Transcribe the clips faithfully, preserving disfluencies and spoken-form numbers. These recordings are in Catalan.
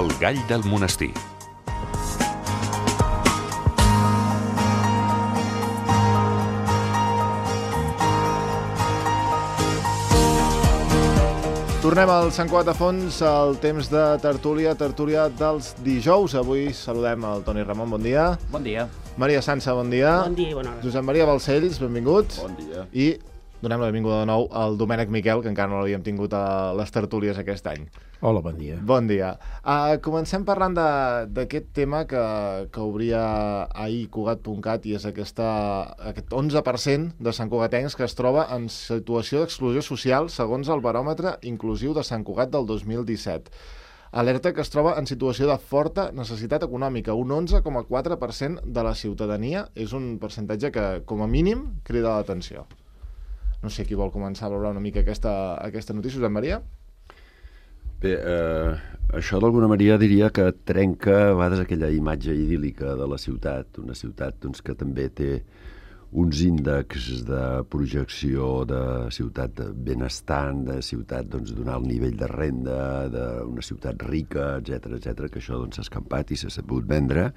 El gall del monestir. Tornem al Sant Cugat de Fons, al temps de tertúlia, tertúlia dels dijous. Avui saludem el Toni Ramon, bon dia. Bon dia. Maria Sança, bon dia. Bon dia i bona hora. Josep Maria Balcells, benvingut. Bon dia. I donem la benvinguda de nou al Domènec Miquel, que encara no l'havíem tingut a les tertúlies aquest any. Hola, bon dia. Bon dia. Uh, comencem parlant d'aquest tema que, que obria ahir Cugat punt cat i és aquesta, aquest onze per cent de santcugatencs que es troba en situació d'exclusió social segons el baròmetre inclusiu de Sant Cugat del dos mil disset. Alerta que es troba en situació de forta necessitat econòmica. Un onze coma quatre per cent de la ciutadania és un percentatge que, com a mínim, crida l'atenció. No sé qui vol començar a valorar una mica aquesta, aquesta notícia. Josep Maria? Bé, eh, això d'alguna manera diria que trenca a vegades aquella imatge idíl·lica de la ciutat, una ciutat doncs, que també té uns índexs de projecció de ciutat benestant, de ciutat doncs, d'un alt nivell de renda, d'una ciutat rica, etcètera, etcètera, que això doncs, s'ha escampat i s'ha sabut vendre,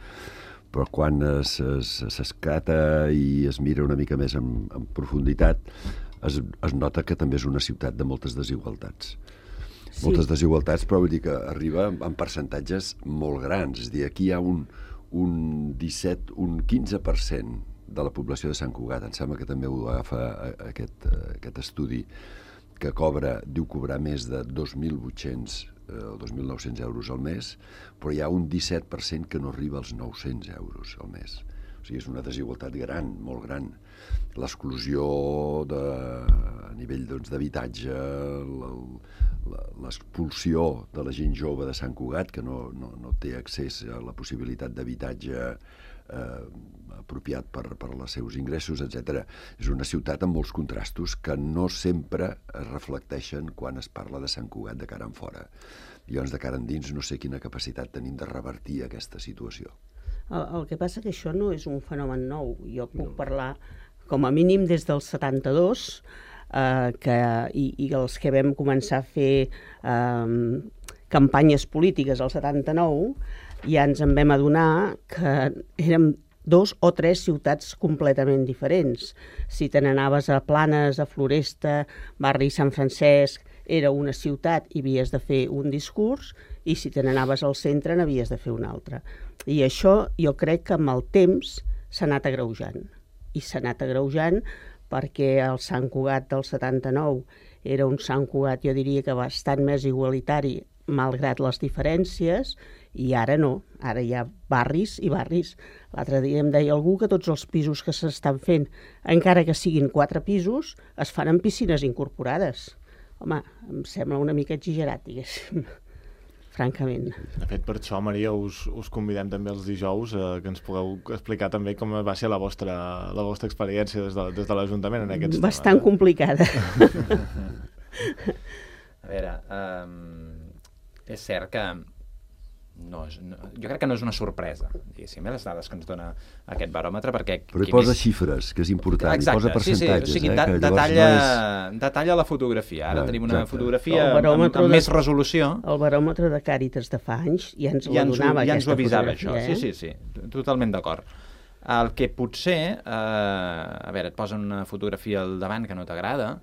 però quan s'escata i es mira una mica més en, en profunditat, es, es nota que també és una ciutat de moltes desigualtats. Sí. Moltes desigualtats, però vull dir que arriba en percentatges molt grans. És a dir, aquí hi ha un, un disset, un quinze per cent de la població de Sant Cugat, em sembla que també ho agafa aquest, aquest estudi, que cobra, diu cobrar més de dos mil vuit-cents o dos mil nou-cents euros al mes, però hi ha un disset per cent que no arriba als nou-cents euros al mes. O sigui, és una desigualtat gran, molt gran. L'exclusió de, a nivell doncs, d'habitatge, l'expulsió de la gent jove de Sant Cugat, que no, no, no té accés a la possibilitat d'habitatge eh, apropiat per, per als seus ingressos, etcètera. És una ciutat amb molts contrastos que no sempre es reflecteixen quan es parla de Sant Cugat de cara en fora. Llavors, de cara endins, no sé quina capacitat tenim de revertir aquesta situació. El, el que passa que això no és un fenomen nou. Jo puc no. parlar, com a mínim, des del setanta-dos, eh, que, i, i els que vam començar a fer eh, campanyes polítiques al setanta-nou, ja ens en vam adonar que érem dos o tres ciutats completament diferents. Si te n'anaves a Planes, a Floresta, barri Sant Francesc, era una ciutat i havies de fer un discurs, i si te n'anaves al centre n'havies de fer un altre. I això jo crec que amb el temps s'ha anat agreujant. I s'ha anat agreujant perquè el Sant Cugat del setanta-nou era un Sant Cugat, jo diria que bastant més igualitari, malgrat les diferències, i ara no. Ara hi ha barris i barris. L'altre dia em deia algú que tots els pisos que s'estan fent, encara que siguin quatre pisos, es fan en piscines incorporades. Home, em sembla una mica exagerat, diguéssim, francament. De fet, per això, Maria, us, us convidem també els dijous eh, que ens pugueu explicar també com va ser la vostra, la vostra experiència des de, des de l'Ajuntament en aquests Bastant temes. complicada. A veure, um, és cert que no és, no, jo crec que no és una sorpresa, diguéssim, les dades que ens dona aquest baròmetre, perquè... Però hi posa més... xifres, que és important, exacte, hi posa percentatges. Sí, sí, o sigui, eh, da, que detalla, no és... detalla la fotografia. Ara ah, tenim una exacte. fotografia amb, amb de, més resolució. El baròmetre de Càritas de fa anys ja ens ja la donava, ja ens ho avisava, això. Eh? Sí, sí, sí, totalment d'acord. El que potser, eh, a veure, et posa una fotografia al davant que no t'agrada,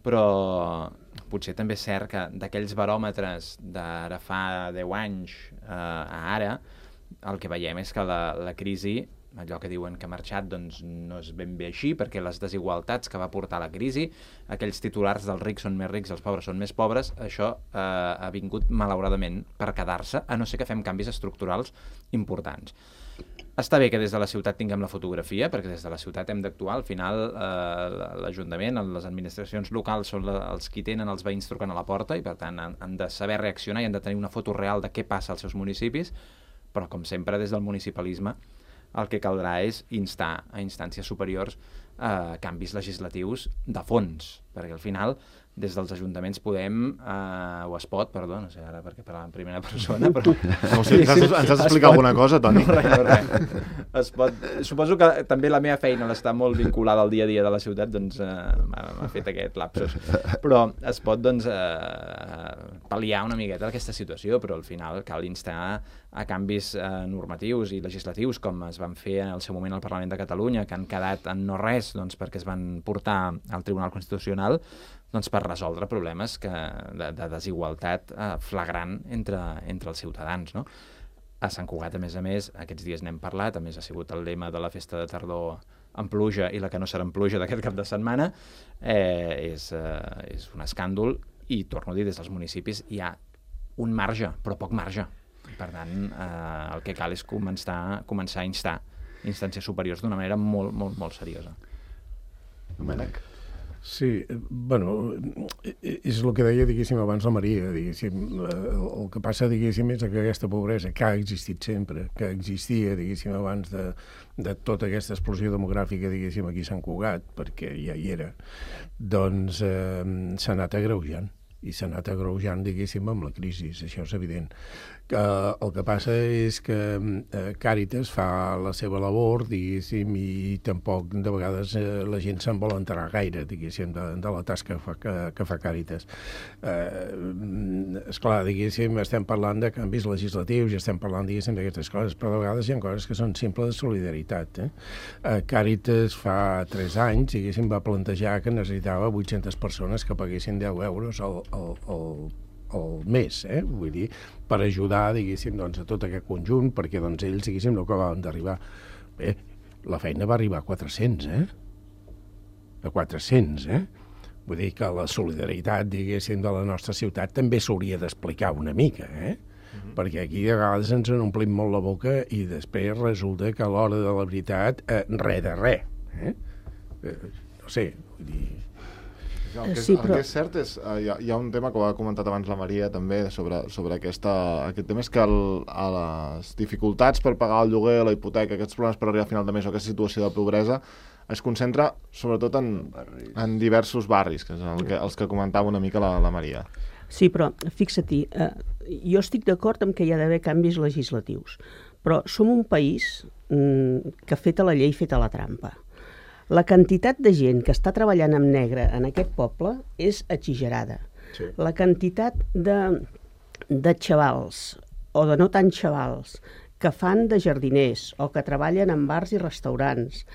però potser també és cert que d'aquells baròmetres d'ara fa deu anys eh, a ara, el que veiem és que la, la crisi, allò que diuen que ha marxat, doncs no és ben bé així, perquè les desigualtats que va portar la crisi, aquells titulars dels rics són més rics i els pobres són més pobres, això eh, ha vingut malauradament per quedar-se, a no ser que fem canvis estructurals importants. Està bé que des de la ciutat tinguem la fotografia, perquè des de la ciutat hem d'actuar. Al final, eh, l'Ajuntament, les administracions locals són la, els qui tenen els veïns trucant a la porta i, per tant, han, han de saber reaccionar i han de tenir una foto real de què passa als seus municipis, però, com sempre, des del municipalisme, el que caldrà és instar a instàncies superiors eh, canvis legislatius de fons. perquè al final des dels ajuntaments podem, eh, o es pot, perdó, no sé ara perquè parlàvem en primera persona, però... No, o sigui, ens, has, ens has d'explicar alguna cosa, Toni? No, res, no, res. Es pot... Suposo que també la meva feina està molt vinculada al dia a dia de la ciutat, doncs eh, m'ha fet aquest lapsus. Però es pot, doncs, eh, pal·liar una miqueta aquesta situació, però al final cal instar a canvis eh, normatius i legislatius, com es van fer en el seu moment al Parlament de Catalunya, que han quedat en no res, doncs, perquè es van portar al Tribunal Constitucional, doncs per resoldre problemes que, de, de desigualtat eh, flagrant entre, entre els ciutadans, no? A Sant Cugat, a més a més, aquests dies n'hem parlat, a més ha sigut el lema de la festa de tardor en pluja i la que no serà en pluja d'aquest cap de setmana, eh, és, eh, és un escàndol, i torno a dir, des dels municipis hi ha un marge, però poc marge. Per tant, eh, el que cal és començar, començar a instar instàncies superiors d'una manera molt, molt, molt seriosa. Domènec? Sí, bueno, és el que deia, diguéssim, abans la Maria, diguéssim, el que passa, diguéssim, és que aquesta pobresa, que ha existit sempre, que existia, diguéssim, abans de, de tota aquesta explosió demogràfica, diguéssim, aquí a Sant Cugat, perquè ja hi era, doncs eh, s'ha anat agreujant, i s'ha anat agreujant, diguéssim, amb la crisi, això és evident. Que el que passa és que eh, Càritas fa la seva labor, diguéssim, i tampoc de vegades eh, la gent se'n vol enterar gaire, diguéssim, de, de la tasca que fa, que, que fa Càritas. Eh, esclar, diguéssim, estem parlant de canvis legislatius i estem parlant, diguéssim, d'aquestes coses, però de vegades hi ha coses que són simples de solidaritat. Eh? Eh, Càritas fa tres anys, diguéssim, va plantejar que necessitava vuit-centes persones que paguessin deu euros al, al, al el mes, eh? Vull dir, per ajudar, diguéssim, doncs, a tot aquest conjunt, perquè doncs, ells, diguéssim, no acabaven d'arribar. Bé, la feina va arribar a quatre-cents, eh? A quatre-cents, eh? Vull dir que la solidaritat, diguéssim, de la nostra ciutat també s'hauria d'explicar una mica, eh? Mm-hmm. Perquè aquí a vegades ens en omplim molt la boca i després resulta que a l'hora de la veritat, eh, res de res, eh? eh? No sé, vull dir... El que, és, sí, el però... que és cert és, uh, hi, ha, hi ha un tema que ho ha comentat abans la Maria també sobre, sobre aquesta, aquest tema, és que el, a les dificultats per pagar el lloguer, la hipoteca, aquests problemes per arribar a final de mes o aquesta situació de pobresa es concentra sobretot en, en diversos barris, que és el que, els que comentava una mica la, la Maria. Sí, però fixa-t'hi, eh, jo estic d'acord amb que hi ha d'haver canvis legislatius, però som un país mm, que feta la llei, feta la trampa. La quantitat de gent que està treballant amb negre en aquest poble és exagerada. Sí. La quantitat de, de xavals, o de no tan xavals, que fan de jardiners o que treballen en bars i restaurants,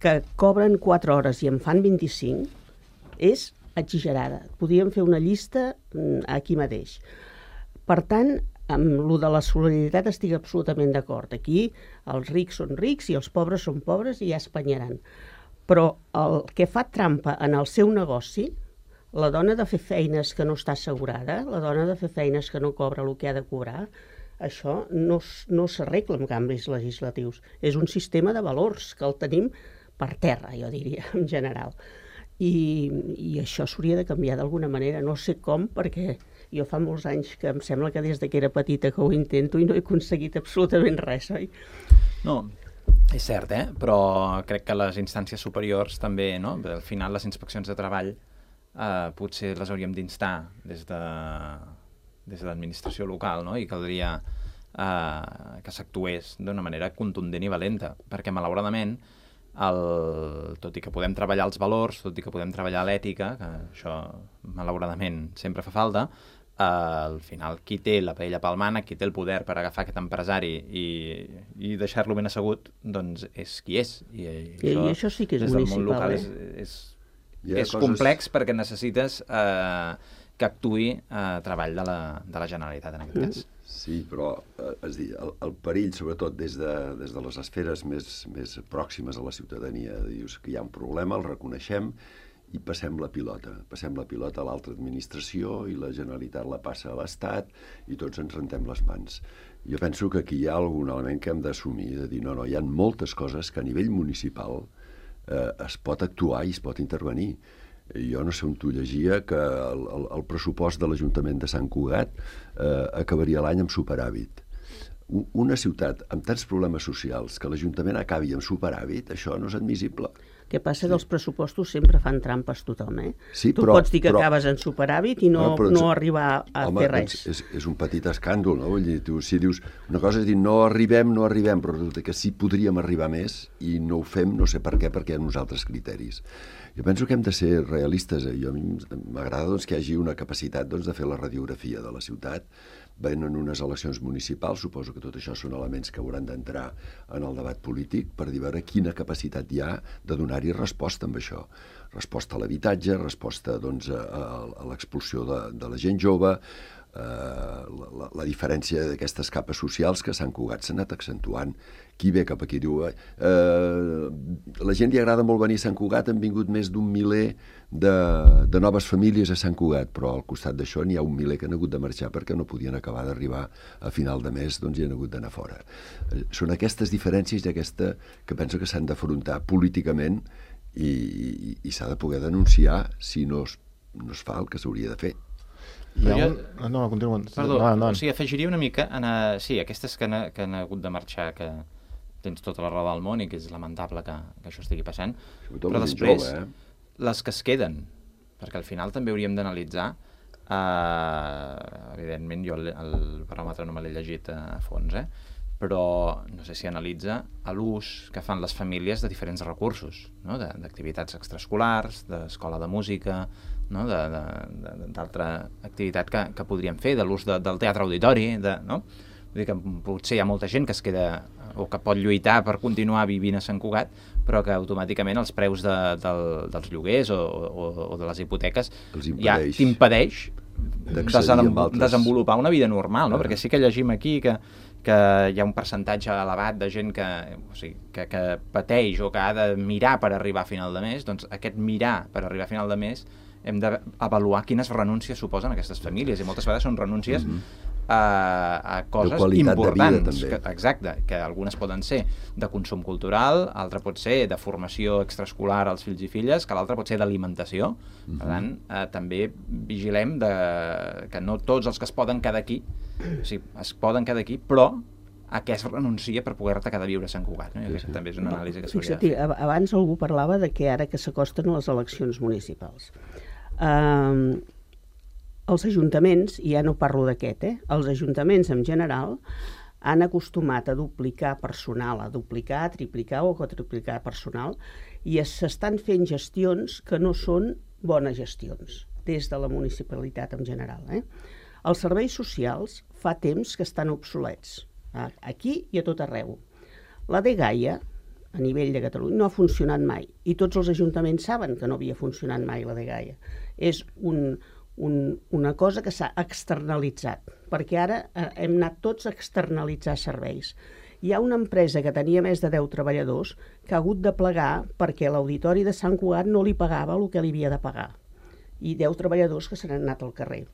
que cobren quatre hores i en fan vint-i-cinc, és exagerada. Podríem fer una llista aquí mateix. Per tant, amb lo de la solidaritat estic absolutament d'acord. Aquí els rics són rics i els pobres són pobres i ja es penyaran. Però el que fa trampa en el seu negoci, la dona de fer feines que no està assegurada, la dona de fer feines que no cobra el que ha de cobrar, això no, no s'arregla amb canvis legislatius. És un sistema de valors que el tenim per terra, jo diria, en general. I, i això s'hauria de canviar d'alguna manera. No sé com, perquè jo fa molts anys que em sembla que des que era petita que ho intento i no he aconseguit absolutament res, oi? No, és cert, eh? Però crec que les instàncies superiors també, no? Al final les inspeccions de treball eh, potser les hauríem d'instar des de, des de l'administració local, no? I caldria eh, que s'actués d'una manera contundent i valenta, perquè malauradament, el, tot i que podem treballar els valors, tot i que podem treballar l'ètica, que això malauradament sempre fa falta, Uh, al final qui té la paella pel mànec, qui té el poder per agafar aquest empresari i, i deixar-lo ben assegut, doncs és qui és. I, i, I això, això sí que és des del món local municipal, eh? és, és, és coses... complex perquè necessites uh, que actuï uh, treball de la, de la Generalitat en aquest mm. cas. Sí, però eh, és dir, el, el perill, sobretot des de, des de les esferes més, més pròximes a la ciutadania, dius que hi ha un problema, el reconeixem, i passem la pilota. Passem la pilota a l'altra administració i la Generalitat la passa a l'Estat i tots ens rentem les mans. Jo penso que aquí hi ha algun element que hem d'assumir, de dir, no, no, hi ha moltes coses que a nivell municipal eh, es pot actuar i es pot intervenir. Jo no sé on tu llegia que el, el, el pressupost de l'Ajuntament de Sant Cugat eh, acabaria l'any amb superàvit. Una ciutat amb tants problemes socials que l'Ajuntament acabi amb superàvit, això no és admissible. El que passa que els pressupostos sempre fan trampes tothom, eh? Sí, tu però, pots dir que però, acabes en superàvit i no, no, però, no arribar a home, fer res. Doncs és, és un petit escàndol, no? Vull dir, tu, si dius, una cosa és dir no arribem, no arribem, però resulta que sí podríem arribar més i no ho fem, no sé per què, perquè hi ha uns altres criteris. Jo penso que hem de ser realistes. Eh? Jo, a mi m'agrada doncs, que hi hagi una capacitat doncs, de fer la radiografia de la ciutat. Venen unes eleccions municipals, suposo que tot això són elements que hauran d'entrar en el debat polític per dir veure quina capacitat hi ha de donar-hi resposta amb això. Resposta a l'habitatge, resposta doncs, a, a, a l'expulsió de, de la gent jove, eh, la, la, la diferència d'aquestes capes socials que Sant Cugat s'ha anat accentuant. Qui ve cap aquí diu eh, la gent li agrada molt venir a Sant Cugat, han vingut més d'un miler de, de noves famílies a Sant Cugat, però al costat d'això n'hi ha un miler que han hagut de marxar perquè no podien acabar d'arribar a final de mes, doncs hi han hagut d'anar fora. Eh, són aquestes diferències i aquesta que penso que s'han d'afrontar políticament i, i, i s'ha de poder denunciar si no es, no es fa el que s'hauria de fer. Hi ha jo... un... No, no, continua. Perdó, no, no. o sigui, afegiria una mica en a... sí, aquestes que han, que han hagut de marxar, que tens tota la raó del món i que és lamentable que, que això estigui passant, Sobretot però després jove, eh? les que es queden, perquè al final també hauríem d'analitzar, eh, evidentment jo el, el baròmetre no me l'he llegit a fons, eh? Però no sé si analitza l'ús que fan les famílies de diferents recursos, no? D'activitats extraescolars, d'escola de música, no? d'altra activitat que, que podríem fer, de l'ús de, del teatre auditori, de, no? Vull dir que potser hi ha molta gent que es queda o que pot lluitar per continuar vivint a Sant Cugat, però que automàticament els preus de, del, dels lloguers o, o, o de les hipoteques ja t'impedeix desenvolupar una vida normal, no? Perquè sí que llegim aquí que, que hi ha un percentatge elevat de gent que, o sigui, que, que pateix o que ha de mirar per arribar a final de mes. Doncs aquest mirar per arribar a final de mes hem d'avaluar quines renúncies suposen aquestes famílies, i moltes vegades són renúncies mm-hmm. a, a coses importants. De vida, que, exacte, que algunes poden ser de consum cultural, altra pot ser de formació extraescolar als fills i filles, que l'altra pot ser d'alimentació. Mm-hmm. Per tant, eh, també vigilem de, que no tots els que es poden quedar aquí, o sigui, es poden quedar aquí, però a què es renuncia per poder-te quedar a viure a Sant Cugat. No? I aquesta també és una anàlisi que s'hauria de fer. Abans algú parlava de que ara que s'acosten les eleccions municipals. Uh, els ajuntaments, i ja no parlo d'aquest, eh? els ajuntaments en general han acostumat a duplicar personal, a duplicar, a triplicar o a quadruplicar personal, i s'estan fent gestions que no són bones gestions des de la municipalitat en general. Eh? Els serveis socials fa temps que estan obsolets, aquí i a tot arreu. La dgaia, a nivell de Catalunya, no ha funcionat mai, i tots els ajuntaments saben que no havia funcionat mai la dgaia. És un, un, una cosa que s'ha externalitzat, perquè ara eh, hem anat tots a externalitzar serveis. Hi ha una empresa que tenia més de deu treballadors que ha hagut de plegar perquè l'auditori de Sant Cugat no li pagava el que li havia de pagar, i deu treballadors que se n'han anat al carrer.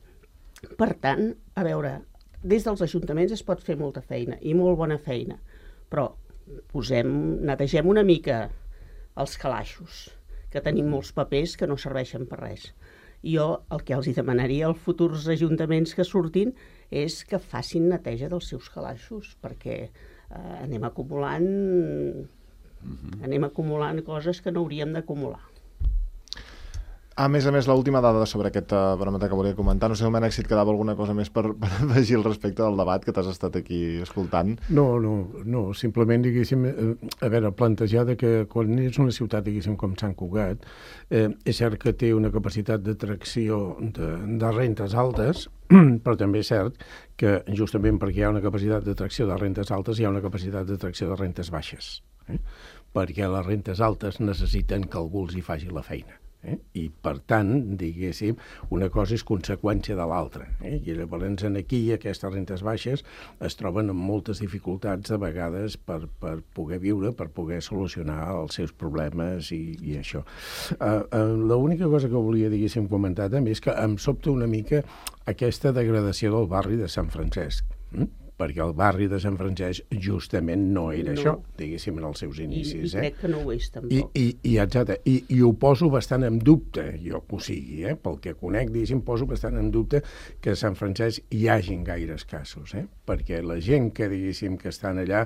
Per tant, a veure, des dels ajuntaments es pot fer molta feina, i molt bona feina, però posem, netegem una mica els calaixos, que tenim molts papers que no serveixen per res. Jo el que els hi demanaria als futurs ajuntaments que surtin és que facin neteja dels seus calaixos, perquè eh, anem acumulant mm-hmm. anem acumulant coses que no hauríem d'acumular. A més a més, l'última dada sobre aquest uh, baròmetre que volia comentar, no sé, Domènec, si et quedava alguna cosa més per, per afegir al respecte del debat que t'has estat aquí escoltant. No, no, no, simplement, diguéssim, eh, a veure, plantejar que quan és una ciutat, diguéssim, com Sant Cugat, eh, és cert que té una capacitat d'atracció de, de rentes altes, però també és cert que justament perquè hi ha una capacitat d'atracció de rentes altes, hi ha una capacitat d'atracció de rentes baixes, eh? Perquè les rentes altes necessiten que algú els hi faci la feina. Eh? I per tant, diguéssim, una cosa és conseqüència de l'altra, eh? I llavors aquí aquestes rentes baixes es troben amb moltes dificultats de vegades per, per poder viure, per poder solucionar els seus problemes i, i això. Uh, uh, l'única cosa que volia, diguéssim, comentar també és que em sobta una mica aquesta degradació del barri de Sant Francesc, hm? Perquè el barri de Sant Francesc justament no era no. això, diguéssim, en els seus inicis. I, i crec eh? que no ho és, tampoc. I, i, i, exacte, i, i ho poso bastant en dubte, jo que ho sigui, eh? Pel que conec, diguéssim, poso bastant en dubte que a Sant Francesc hi hagin gaires casos, eh? Perquè la gent que, diguéssim, que estan allà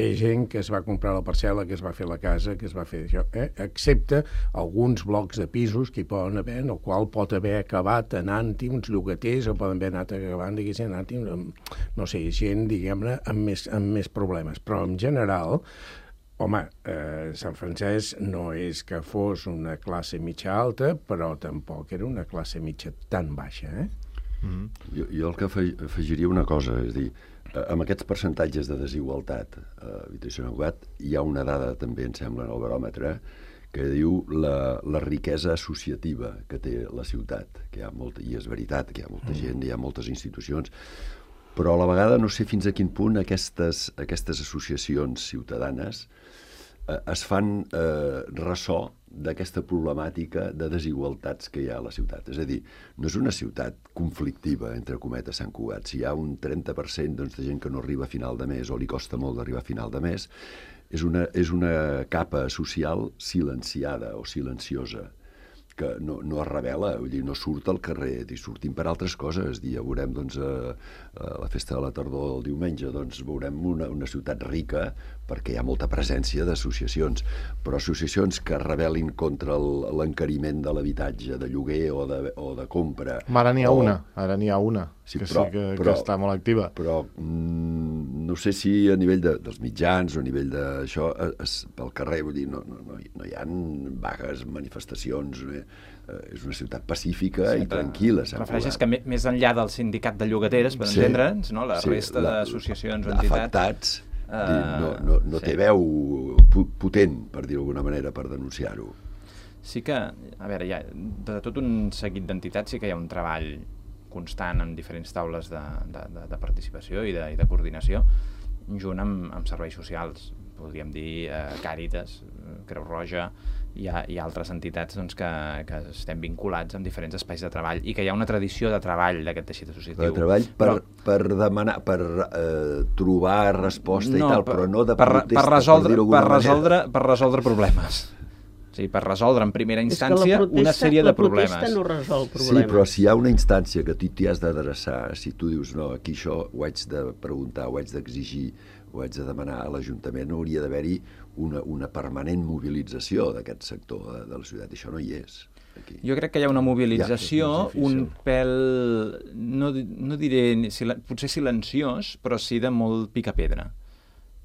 és gent que es va comprar la parcel·la, que es va fer la casa, que es va fer això, eh? excepte alguns blocs de pisos que hi poden haver, en el qual pot haver acabat anant-hi uns llogaters o poden haver anat acabant, diguéssim, anant-hi, no sé, gent, diguem-ne, amb més, amb més problemes. Però, en general, home, eh, Sant Francesc no és que fos una classe mitja alta, però tampoc era una classe mitja tan baixa, eh? Mm-hmm. Jo, jo el que afegiria una cosa, és dir, amb aquests percentatges de desigualtat a Habitació Sant Cugat hi ha una dada també, em sembla, en el baròmetre, que diu la, la riquesa associativa que té la ciutat, que hi ha molta, i és veritat que hi ha molta gent, hi ha moltes institucions, però a la vegada no sé fins a quin punt aquestes, aquestes associacions ciutadanes eh, es fan eh, ressò d'aquesta problemàtica de desigualtats que hi ha a la ciutat. És a dir, no és una ciutat conflictiva, entre cometes, Sant Cugat. Si hi ha un trenta per cent doncs, de gent que no arriba a final de mes o li costa molt d'arribar a final de mes, és una, és una capa social silenciada o silenciosa, que no, no es revela, vull dir, no surt al carrer, i sortim per altres coses. Ja veurem, doncs, a, a la festa de la tardor del diumenge, doncs, veurem una, una ciutat rica perquè hi ha molta presència d'associacions, però associacions que es rebel·lin contra l'encariment de l'habitatge, de lloguer o de, o de compra. Ara n'hi ha o... una, ara n'hi ha una, sí, que però, sí que, però, que està molt activa. Però mm, no sé si a nivell de, dels mitjans o a nivell d'això, pel carrer, vull dir, no, no, no, no hi ha vagues, manifestacions, eh? És una ciutat pacífica sí, i tranquil·la. Refereixes que més enllà del sindicat de llogateres, per sí, entendre'ns, no? la sí, resta d'associacions o entitats... Afectats, uh, no, no, no sí. té veu potent, per dir-ho d'alguna manera, per denunciar-ho. Sí que, a veure, ja, de tot un seguit d'entitats sí que hi ha un treball constant en diferents taules de, de, de, de participació i de, i de coordinació, junt amb, amb serveis socials, podríem dir eh, Càritas, Creu Roja, hi ha, hi ha altres entitats doncs, que, que estem vinculats amb diferents espais de treball i que hi ha una tradició de treball d'aquest teixit associatiu. De treball per, però, per demanar, per eh, trobar resposta no, i tal, per, però no de protesta, per, resoldre, per, per, resoldre, per resoldre problemes. Sí, per resoldre en primera instància protesta, una sèrie de problemes. La protesta no resol problemes. Sí, però si hi ha una instància que tu t'hi has d'adreçar, si tu dius, no, aquí això ho haig de preguntar, ho haig d'exigir, ho haig de demanar a l'Ajuntament, hauria d'haver-hi una, una permanent mobilització d'aquest sector de, de la ciutat, i això no hi és. Aquí. Jo crec que hi ha una mobilització, ja, un pèl, no, no diré, potser silenciós, però sí de molt pica-pedra.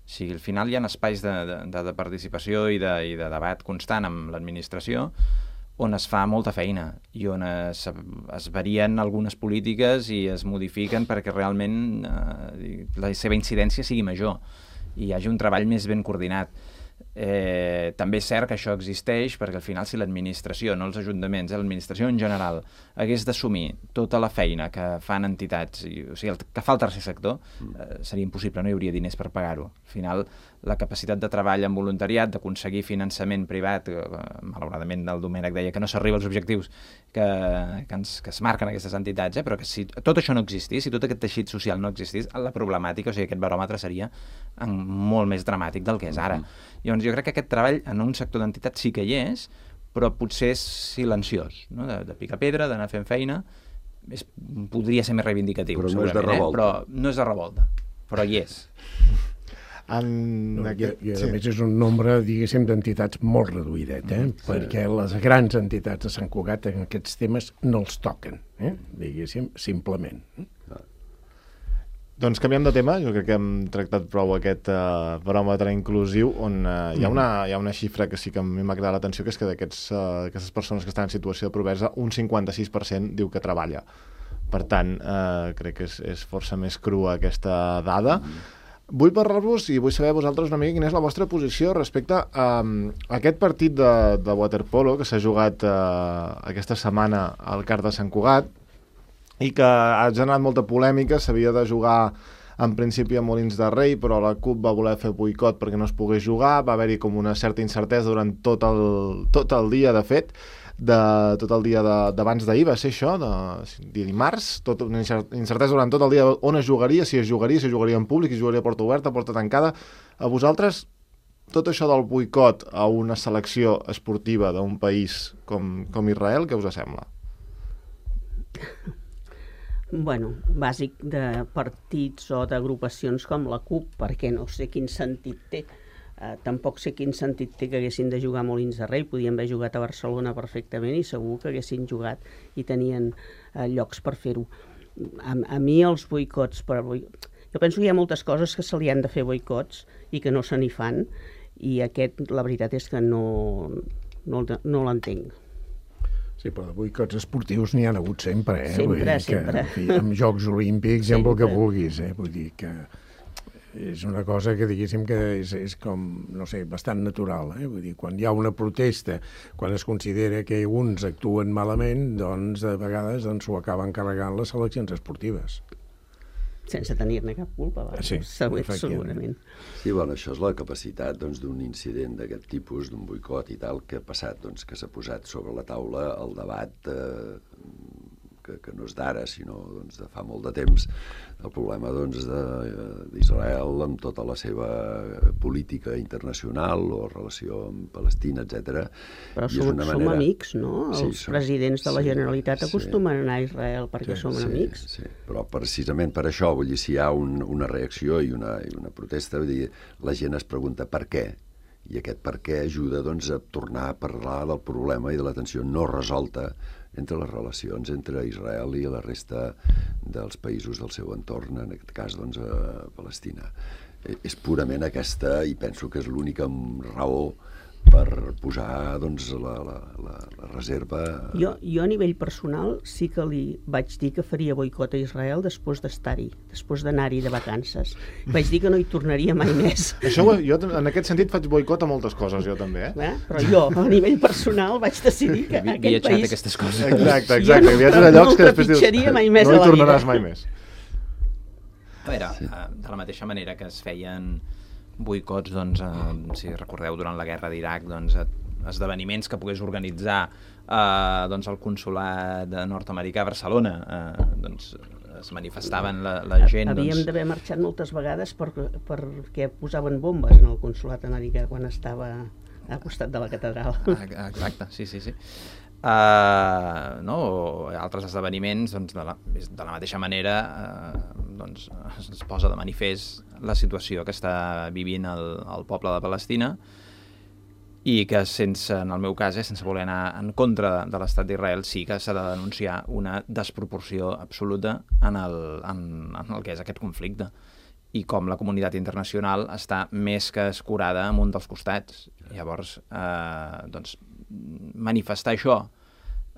O sigui, al final hi ha espais de, de, de participació i de, i de debat constant amb l'administració on es fa molta feina i on es, es varien algunes polítiques i es modifiquen perquè realment eh, la seva incidència sigui major i hi hagi un treball més ben coordinat. Eh, també és cert que això existeix perquè al final si l'administració, no els ajuntaments, eh, l'administració en general hagués d'assumir tota la feina que fan entitats, i, o sigui, el que fa el tercer sector, eh, seria impossible, no hi hauria diners per pagar-ho. Al final, la capacitat de treball en voluntariat, d'aconseguir finançament privat, eh, malauradament el Domènec deia que no s'arriba als objectius que, que, ens, que es marquen aquestes entitats, eh, però que si tot això no existís, si tot aquest teixit social no existís, la problemàtica, o sigui, aquest baròmetre seria en, molt més dramàtic del que és ara. Llavors, jo crec que aquest treball en un sector d'entitats sí que hi és, però potser és silenciós, no? de, de picar pedra, d'anar fent feina, és, podria ser més reivindicatiu, però no segurament, és de revolta. Eh? Però no és de revolta, però hi és. En no, aquest... I, i a sí. més és un nombre, diguéssim, d'entitats molt reduïdet, eh? Sí. Perquè les grans entitats de Sant Cugat en aquests temes no els toquen, eh? Diguéssim, simplement. Doncs canviem de tema, jo crec que hem tractat prou aquest uh, baròmetre inclusiu on uh, hi, ha una, hi ha una xifra que sí que a mi m'ha cridat l'atenció, que és que d'aquestes uh, persones que estan en situació de pobresa, un cinquanta-sis per cent diu que treballa. Per tant, uh, crec que és, és força més crua aquesta dada. Vull parlar-vos i vull saber vosaltres una mica quina és la vostra posició respecte a, a aquest partit de, de waterpolo que s'ha jugat uh, aquesta setmana al Car de Sant Cugat, i que ha generat molta polèmica. S'havia de jugar en principi a Molins de Rei, però la CUP va voler fer boicot perquè no es pogués jugar, va haver-hi com una certa incertesa durant tot el, tot el dia, de fet, de, tot el dia d'abans d'ahir, va ser això, de, de dimarts, tot, una incertesa durant tot el dia on es jugaria, si es jugaria, si es jugaria en públic, si es jugaria a porta oberta, a porta tancada. A vosaltres, tot això del boicot a una selecció esportiva d'un país com, com Israel, què us sembla? bueno, bàsic de partits o d'agrupacions com la CUP, perquè no sé quin sentit té. Uh, tampoc sé quin sentit té que haguessin de jugar a Molins de Rei, podien haver jugat a Barcelona perfectament i segur que haguessin jugat i tenien uh, llocs per fer-ho. A, a mi els boicots... Per boi... Jo penso que hi ha moltes coses que se li han de fer boicots i que no se n'hi fan, i aquest, la veritat és que no, no, no l'entenc. Sí, però de boicots esportius n'hi ha hagut sempre, eh? Sempre, Vull dir que, sempre. En fi, amb Jocs Olímpics i amb el que vulguis, eh? Vull dir que és una cosa que diguéssim que és, és com, no sé, bastant natural, eh? Vull dir, quan hi ha una protesta, quan es considera que uns actuen malament, doncs de vegades doncs, s'ho acaben carregant les seleccions esportives. Sense tenir-ne cap culpa, va. Sí, Segur, efectivament. segurament. Sí, bueno, això és la capacitat doncs, d'un incident d'aquest tipus, d'un boicot i tal, que ha passat, doncs, que s'ha posat sobre la taula el debat eh, que, que no és d'ara, sinó doncs, de fa molt de temps, el problema doncs, d'Israel amb tota la seva política internacional o relació amb Palestina, etcètera. Però I és som, una som manera... amics, no? Sí, Els som- presidents de la sí, Generalitat sí. acostumen a anar a Israel perquè som sí, amics. Sí, però precisament per això, vull dir, si hi ha un, una reacció i una, i una protesta, vull dir, la gent es pregunta per què, i aquest per què ajuda doncs, a tornar a parlar del problema i de la tensió no resolta entre les relacions entre Israel i la resta dels països del seu entorn, en aquest cas doncs, a Palestina. És purament aquesta, i penso que és l'única raó per posar doncs, la, la, la, la reserva... Jo, jo a nivell personal sí que li vaig dir que faria boicot a Israel després d'estar-hi, després d'anar-hi de vacances. Vaig dir que no hi tornaria mai més. Això, jo en aquest sentit faig boicot a moltes coses, jo també, eh? Eh? Però jo, a nivell personal, vaig decidir que Vi- aquest Viatjat país... aquestes coses. Exacte, Jo exacte. no- Viatges a no llocs el que després dius... trepitjaria mai més no a hi la tornaràs vida. mai més. A veure, eh, de la mateixa manera que es feien boicots, doncs, eh, si recordeu, durant la guerra d'Iraq, doncs, eh, esdeveniments que pogués organitzar eh, doncs, el consolat nord-americà a Barcelona, eh, doncs, es manifestaven la, la gent... Havíem doncs... d'haver marxat moltes vegades per, perquè posaven bombes en el consolat americà quan estava al costat de la catedral. Ah, exacte, sí, sí, sí. Uh, no? O altres esdeveniments, doncs, de, la, de la mateixa manera uh, doncs, es posa de manifest la situació que està vivint el, el poble de Palestina, i que sense, en el meu cas, eh, sense voler anar en contra de l'estat d'Israel, sí que s'ha de denunciar una desproporció absoluta en el, en, en el que és aquest conflicte, i com la comunitat internacional està més que escurada en un dels costats. Llavors, eh, doncs, manifestar això,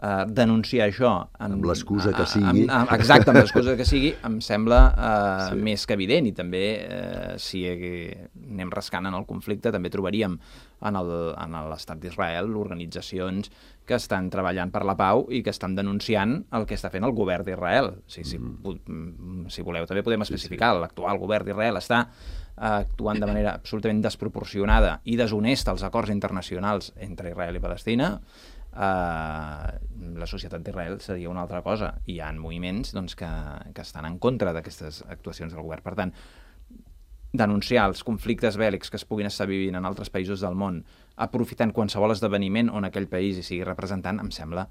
eh, denunciar això... En, Amb l'excusa que sigui. Amb, amb, exacte, amb l'excusa que sigui, em sembla eh, Sí. més que evident, i també, eh, si anem rascant en el conflicte, també trobaríem en el- en l'estat d'Israel organitzacions que estan treballant per la pau i que estan denunciant el que està fent el govern d'Israel. O sigui, si, mm. si voleu, també podem especificar, sí, sí. L'actual govern d'Israel està actuant de manera absolutament desproporcionada i deshonesta als acords internacionals entre Israel i Palestina. Uh, la societat d'Israel seria una altra cosa. Hi ha moviments doncs, que, que estan en contra d'aquestes actuacions del govern. Per tant, denunciar els conflictes bèl·lics que es puguin estar vivint en altres països del món, aprofitant qualsevol esdeveniment on aquell país hi sigui representant, em sembla,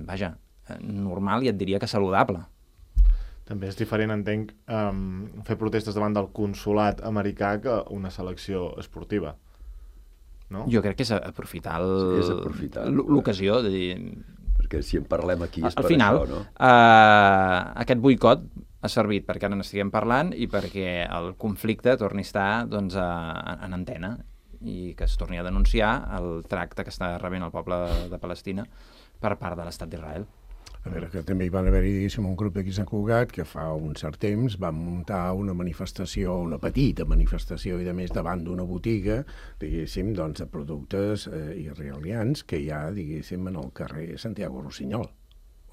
vaja, normal i et diria que saludable. També és diferent, entenc, um, fer protestes davant del consolat americà que una selecció esportiva. No? Jo crec que és aprofitar el- Sí, és aprofitar. l'ocasió de dir... Perquè si en parlem aquí és Al per final, això, no? eh, aquest boicot ha servit perquè ara n'estiguem parlant i perquè el conflicte torni a estar doncs, a, en antena i que es torni a denunciar el tracte que està rebent el poble de Palestina per part de l'estat d'Israel. A veure, que també hi van haver-hi, diguéssim, un grup d'aquí a Sant Cugat que fa un cert temps va muntar una manifestació, una petita manifestació, i de més davant d'una botiga, diguéssim, doncs, de productes eh, israelians que hi ha, diguéssim, en el carrer Santiago Rossinyol.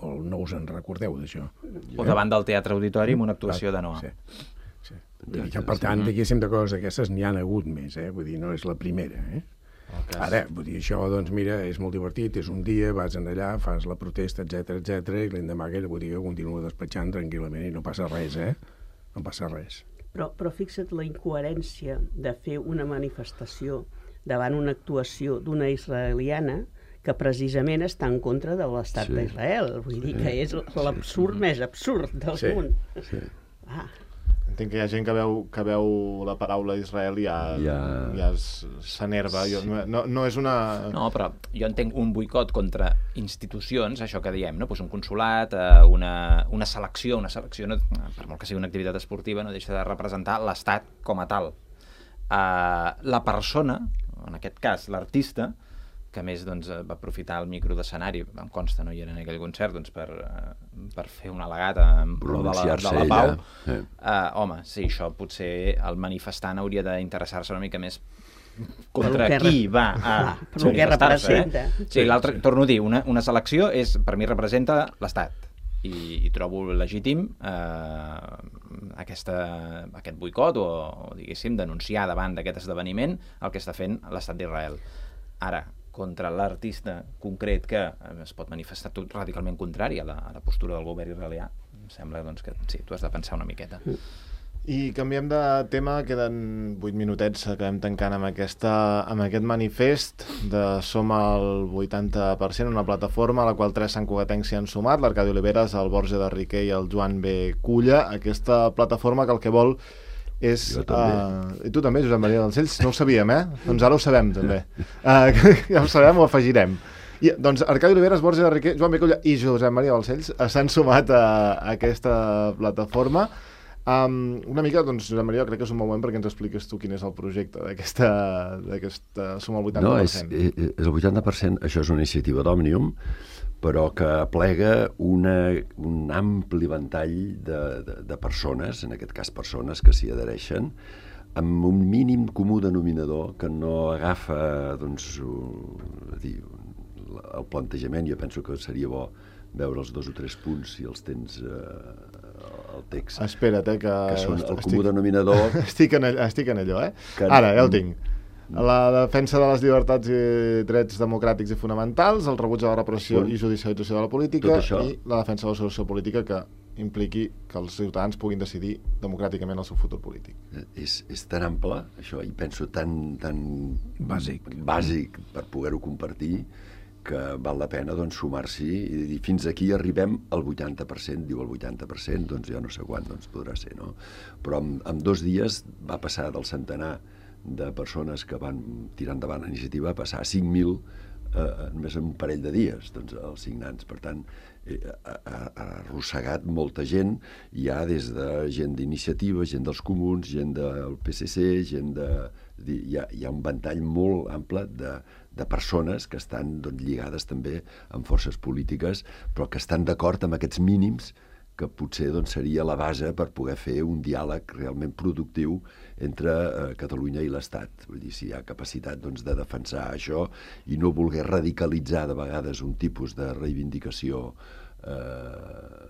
O no us en recordeu, d'això? O davant del Teatre Auditori amb una actuació de Noa. Sí. Sí. Vull dir que, per tant, diguéssim, de coses d'aquestes n'hi han hagut més, eh? Vull dir, no és la primera, eh? Okay. Ara, vull dir, això, doncs, mira, és molt divertit, és un dia, vas en allà, fas la protesta, etc etcètera, i l'endemà aquella botiga continua despatxant tranquil·lament i no passa res, eh? No passa res. Però, però fixa't la incoherència de fer una manifestació davant una actuació d'una israeliana que precisament està en contra de l'estat Sí. d'Israel. Vull dir que és l'absurd més absurd del Sí. món. Sí. Ah, Entenc que hi ha gent que veu, que veu la paraula Israel i ja, ja... Ja- ja es- s'enerva. Jo- No, no és una... No, però jo entenc un boicot contra institucions, això que diem, no? Pues un consulat, eh, una, una selecció, una selecció, no, per molt que sigui una activitat esportiva, no deixa de representar l'estat com a tal. Uh, la persona, en aquest cas l'artista, que a més doncs, va aprofitar el micro d'escenari, em consta, no hi era en aquell concert, doncs, per, uh, per fer un al·legat en pro de la, de Pronunciar-se la pau. ella. Sí. Uh, home, sí, això potser el manifestant hauria d'interessar-se una mica més contra Per lo que qui re- va a clar, per lo que manifestar-se, representa. Eh? Sí, l'altre, torno a dir, una, una selecció és, per mi representa l'Estat i, i trobo legítim eh, aquesta, aquest boicot o, o diguéssim, denunciar davant d'aquest esdeveniment el que està fent l'estat d'Israel. Ara, contra l'artista concret que es pot manifestar tot radicalment contrari a la, a la postura del govern israelià, em sembla doncs, que sí, tu has de pensar una miqueta. I canviem de tema, queden vuit minutets, acabem tancant amb, aquesta, amb aquest manifest de Som al vuitanta per cent, una plataforma a la qual tres santcugatencs s'hi han sumat, l'Arcadi Oliveres, el Borja de Riquer i el Joan B. Culla. Aquesta plataforma que el que vol és... Jo també. Uh, I tu també, Josep Maria Balcells? No ho sabíem, eh? Doncs ara ho sabem, també. Uh, ja ho sabem, ho afegirem. I, doncs Arcadi Oliveres, Borja de Riquer, Joan B. Culla i Josep Maria Balcells s'han sumat a, a aquesta plataforma. Um, una mica, doncs, Josep Maria, crec que és un bon moment perquè ens expliques tu quin és el projecte d'aquesta d'aquesta Som al vuitanta No, per és, cent. és, és el vuitanta per cent, això és una iniciativa d'Òmnium, però que aplega una, un ampli ventall de, de, de persones, en aquest cas persones que s'hi adhereixen, amb un mínim comú denominador que no agafa, doncs, un, dir, el plantejament. Jo penso que seria bo veure els dos o tres punts si els tens eh, al text. Espera't, eh, que... Que són el estic- comú denominador. Estic en, allò, estic en allò, eh? Que- Ara, ja el tinc. La defensa de les llibertats i drets democràtics i fonamentals, el rebuig de la repressió Punt. i judicialització de la política Tot això. i la defensa de la solució política que impliqui que els ciutadans puguin decidir democràticament el seu futur polític. És, és tan ample, això, i penso tan, tan Bàsic. bàsic per poder-ho compartir, que val la pena doncs, sumar-s'hi i dir fins aquí arribem al vuitanta per cent, diu el vuitanta per cent, doncs jo no sé quan doncs, podrà ser, no? Però en, en dos dies va passar del centenar de persones que van tirar endavant la iniciativa a passar a cinc mil eh, només en un parell de dies, doncs, els signants. Per tant, eh, ha, ha ha arrossegat molta gent, hi ha des de gent d'iniciativa, gent dels comuns, gent del P C C, gent de... és dir, hi ha, hi ha un ventall molt ample de, de persones que estan doncs, lligades també amb forces polítiques, però que estan d'acord amb aquests mínims que potser doncs, seria la base per poder fer un diàleg realment productiu entre eh, Catalunya i l'Estat. Vull dir, si hi ha capacitat doncs, de defensar això i no voler radicalitzar de vegades un tipus de reivindicació eh,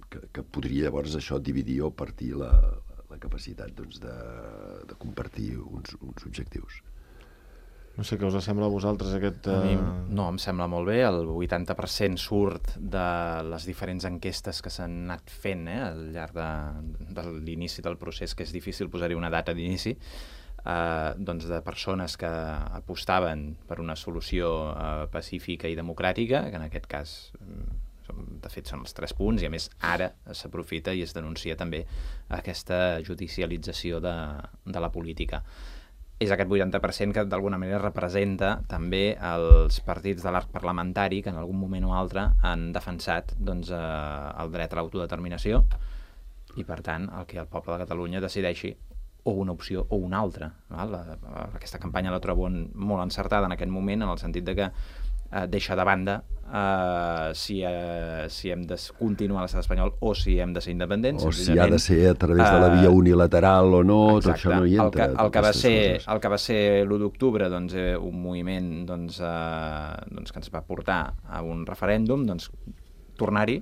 que, que podria llavors això dividir o partir la, la capacitat doncs, de, de compartir uns, uns objectius. No sé què us sembla a vosaltres aquest... A mi, eh, no, em sembla molt bé. El vuitanta per cent surt de les diferents enquestes que s'han anat fent eh, al llarg de, de l'inici del procés, que és difícil posar-hi una data d'inici, eh, doncs de persones que apostaven per una solució eh, pacífica i democràtica, que en aquest cas, de fet, són els tres punts, i a més ara s'aprofita i es denuncia també aquesta judicialització de, de la política. És aquest vuitanta per cent que d'alguna manera representa també els partits de l'arc parlamentari que en algun moment o altre han defensat doncs, eh, el dret a l'autodeterminació i, per tant, el que el poble de Catalunya decideixi o una opció o una altra. Val? La, aquesta campanya la trobo en, molt encertada en aquest moment, en el sentit de que eh, deixa de banda eh, si, eh, si hem de continuar a l'estat espanyol o si hem de ser independents. O si ha de ser a través de la eh, via unilateral o no, exacte. tot això no hi entra. El que, el que, va, aquestes ser, coses. el que va ser l'u d'octubre, doncs, eh, un moviment doncs, eh, doncs, que ens va portar a un referèndum, doncs, tornar-hi,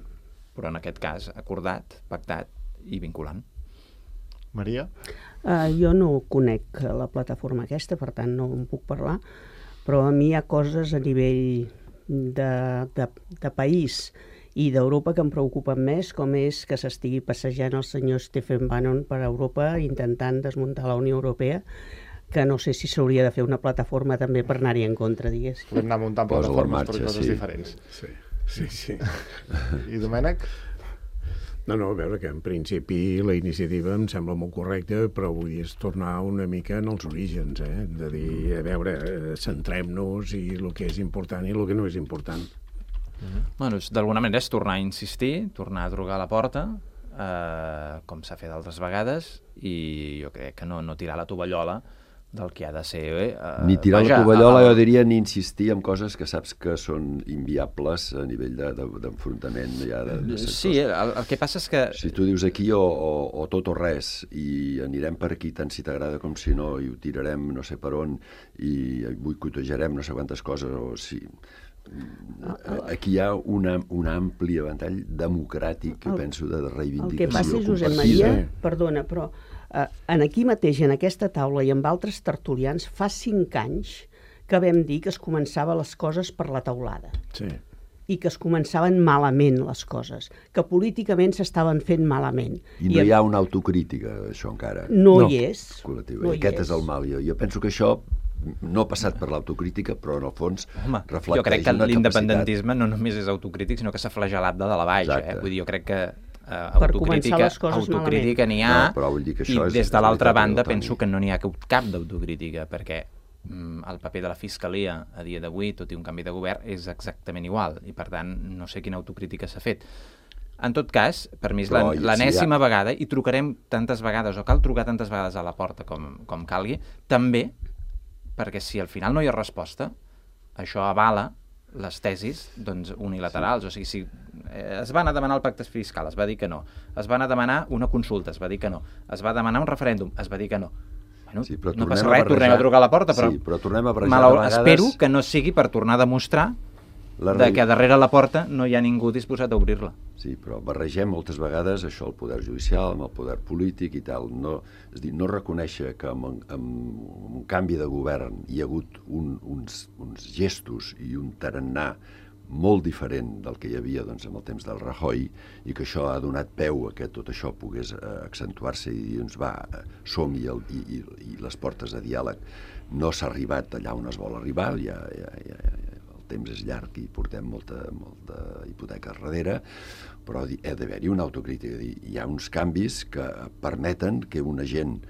però en aquest cas acordat, pactat i vinculant. Maria? Uh, jo no conec la plataforma aquesta, per tant no en puc parlar, però a mi hi ha coses a nivell de, de, de país i d'Europa que em preocupen més, com és que s'estigui passejant el senyor Stephen Bannon per Europa intentant desmuntar la Unió Europea, que no sé si s'hauria de fer una plataforma també per anar-hi en contra, diguéssim. Podem anar muntant Posa la plataformes marxa, per coses sí. diferents. Sí, sí, sí. I Domènec? No, no, a veure, que en principi la iniciativa em sembla molt correcta, però vull dir, és tornar una mica en els orígens, eh? De dir, a veure, eh, centrem-nos i el que és important i el que no és important. Mm-hmm. Bueno, d'alguna manera és tornar a insistir, tornar a trucar a la porta, eh, com s'ha fet altres vegades, i jo crec que no, no tirar la tovallola del que ha de ser... Eh, ni tirar vaja, la tovallola, el... jo diria, ni insistir en coses que saps que són inviables a nivell d'enfrontament. De, de, ja de, de sí, el, el que passa és que... Si tu dius aquí o, o, o tot o res, i anirem per aquí tant si t'agrada com si no, i ho tirarem no sé per on, i boicotejarem no sé quantes coses, o si... Aquí hi ha una, un ampli ventall democràtic, que el, penso, de reivindicació. El que passa, Josep Maria, perdona, però eh, en aquí mateix, en aquesta taula i amb altres tertulians, fa cinc anys que vam dir que es començava les coses per la teulada. Sí. I que es començaven malament les coses, que políticament s'estaven fent malament. I no I hi ha una autocrítica, això encara. No, no. hi és. Col·lectiva. No I aquest és. és el mal. Jo, jo penso que això no ha passat per l'autocrítica, però en el fons Home, reflecteix jo crec que una l'independentisme capacitat. no només és autocrític, sinó que s'ha flagelat de dalt a baix. Eh? Vull dir, jo crec que eh, Per autocrítica, les coses autocrítica n'hi ha, no, però vull dir que i això és, des de l'altra és banda Toni. penso que no n'hi ha cap d'autocrítica, perquè mm, el paper de la Fiscalia a dia d'avui, tot i un canvi de govern, és exactament igual, i per tant no sé quina autocrítica s'ha fet. En tot cas, per mi és Però, l'enèsima si ha... vegada, i trucarem tantes vegades, o cal trucar tantes vegades a la porta com, com calgui, també perquè si al final no hi ha resposta, això avala les tesis doncs, unilaterals. Sí. O sigui, si eh, es va anar a demanar el pacte fiscal, es va dir que no. Es va anar a demanar una consulta, es va dir que no. Es va demanar un referèndum, es va dir que no. Bueno, sí, però no passa a res, barrejar... tornem a trucar a la porta, però, sí, però tornem a barrejar malau... de vegades... espero que no sigui per tornar a demostrar la de que darrere la porta no hi ha ningú disposat a obrir-la. Sí, però barregem moltes vegades això el poder judicial amb el poder polític i tal. No, és dir, no reconèixer que amb, amb un canvi de govern hi ha hagut un, uns, uns gestos i un tarannà molt diferent del que hi havia doncs, amb el temps del Rajoy, i que això ha donat peu a que tot això pogués eh, accentuar-se i dir, doncs va, som-hi i, i, i les portes de diàleg. No s'ha arribat allà on es vol arribar, ja, ja, ja, ja el temps és llarg i portem molta, molta hipoteca darrere, però ha d'haver-hi una autocrítica. Hi ha uns canvis que permeten que una gent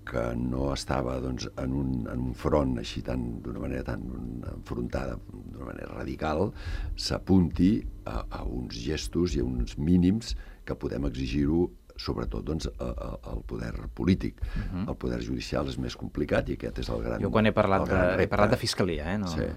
que no estava doncs, en, un, en un front així tan d'una manera tan enfrontada, d'una manera radical, s'apunti a, a uns gestos i a uns mínims que podem exigir-ho sobretot doncs, a, a, al poder polític. Uh-huh. El poder judicial és més complicat i aquest és el gran Jo quan he parlat, de, he parlat de fiscalia, eh? No... Sí.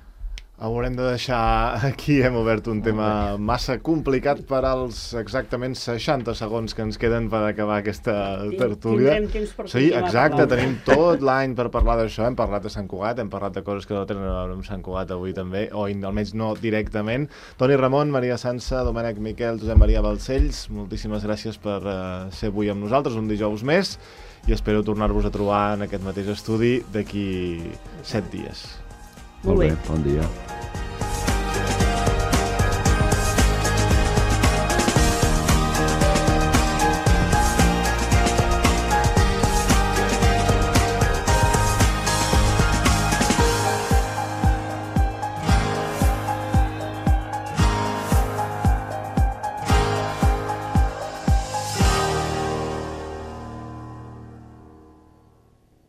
Haurem de deixar aquí, hem obert un tema massa complicat per als exactament seixanta segons que ens queden per acabar aquesta tertúlia. Tindrem temps per sí, continuar exacte, parlant. tenim tot l'any per parlar d'això, hem parlat de Sant Cugat, hem parlat de coses que no tenen a veure amb Sant Cugat avui també, o almenys no directament. Toni Ramon, Maria Sansa, Domènec Miquel, Josep Maria Balcells, moltíssimes gràcies per uh, ser avui amb nosaltres, un dijous més, i espero tornar-vos a trobar en aquest mateix estudi d'aquí set dies. Molt bé. Bon dia.